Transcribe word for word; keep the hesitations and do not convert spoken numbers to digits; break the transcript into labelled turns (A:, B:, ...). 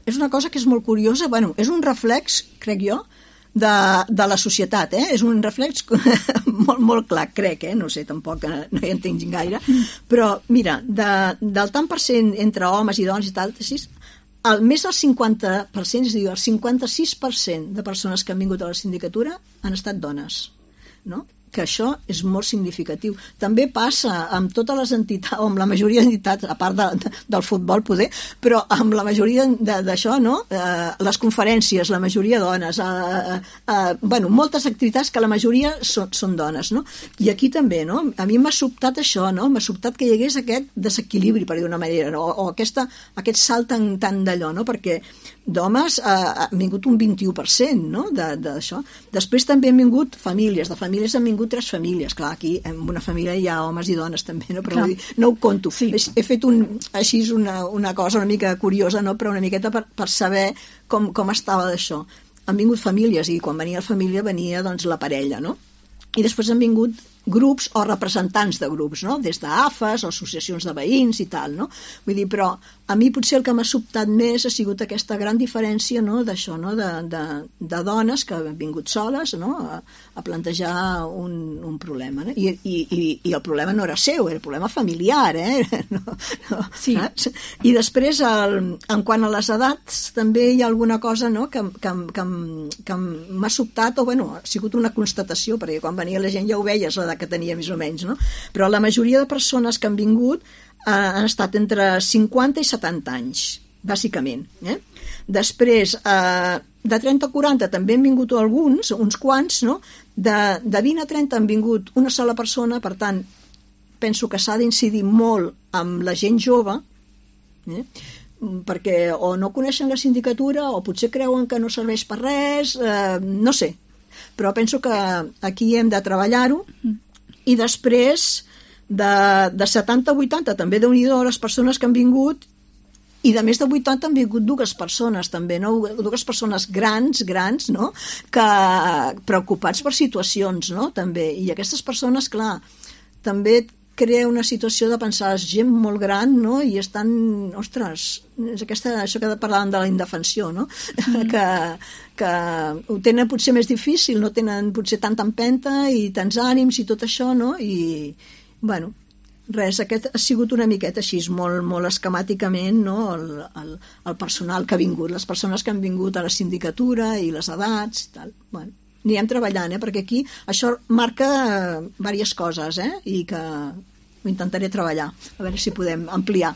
A: és una cosa que és molt curiosa, bueno, és un reflex, crec jo, de, de la societat, eh? És un reflex molt, molt clar, crec, eh? No sé, tampoc no hi entenc gaire, però mira, de, del tant per cent entre homes i dones i tal, el més del cinquanta per cent, és a dir, el cinquanta-sis per cent de persones que han vingut a la sindicatura han estat dones, no? Que això és molt significatiu. També passa amb totes les entitats, o amb la majoria d'entitats, a part de, de, del futbol poder, però amb la majoria d'això, no? Eh, les conferències, la majoria dones, eh, eh, bueno, moltes activitats que la majoria són, són dones, no? I aquí també, no? A mi m'ha sobtat això, no? M'ha sobtat que hi hagués aquest desequilibri, per dir d'una manera, no? o, o aquesta, aquest salt tan, tan d'allò, no? Perquè d'homes eh, ha vingut un vint-i-u per cent, no? D'això. Després també han vingut famílies, de famílies han vingut tres famílies, clar, aquí en una família hi ha homes i dones també, no? Però vull dir, no ho conto, sí. he, he fet un, així una, una cosa una mica curiosa, no? Però una miqueta per, per saber com, com estava d'això. Han vingut famílies i quan venia la família venia doncs la parella, no? I després han vingut grups o representants de grups, no? Des d'AFES o associacions de veïns i tal, no? Vull dir, però a mi potser el que m'ha sobtat més ha sigut aquesta gran diferència, no? D'això, no? De, de, de dones que han vingut soles, no? A, a plantejar un, un problema, no? I, i, i el problema no era seu, era el problema familiar, eh? No, no, sí. Saps? I després, el, en quant a les edats, també hi ha alguna cosa, no? que, que, que, que m'ha sobtat, o bueno, ha sigut una constatació, perquè quan venia la gent ja ho veies, l'edat que tenia més o menys, no? Però la majoria de persones que han vingut eh, han estat entre cinquanta i setanta anys, bàsicament. Eh? Després, eh, de trenta a quaranta també han vingut alguns, uns quants, no? De, de vint a trenta han vingut una sola persona, per tant, penso que s'ha d'incidir molt amb la gent jove, eh? Perquè o no coneixen la sindicatura o potser creuen que no serveix per res, eh, no sé. Però penso que aquí hem de treballar-ho. I després, de, de setanta a vuitanta, també déu-n'hi-do les persones que han vingut, i de més de vuitanta han vingut dues persones, també, no? Dues persones grans, grans, no? Que preocupats per situacions, no? També. I aquestes persones, clar, també crea una situació de pensar, és gent molt gran, no? I estan, ostres, és aquesta, això que parlàvem de la indefensió, no? Mm. que, que ho tenen potser més difícil, no tenen potser tanta empenta i tants ànims i tot això, no? I, bueno, res, aquest ha sigut una miqueta així, molt, molt esquemàticament, no? El, el, el personal que ha vingut, les persones que han vingut a la sindicatura i les edats i tal, bueno. Anirem treballant, eh? Perquè aquí això marca diverses coses, eh? I que ho intentaré treballar, a veure si podem ampliar.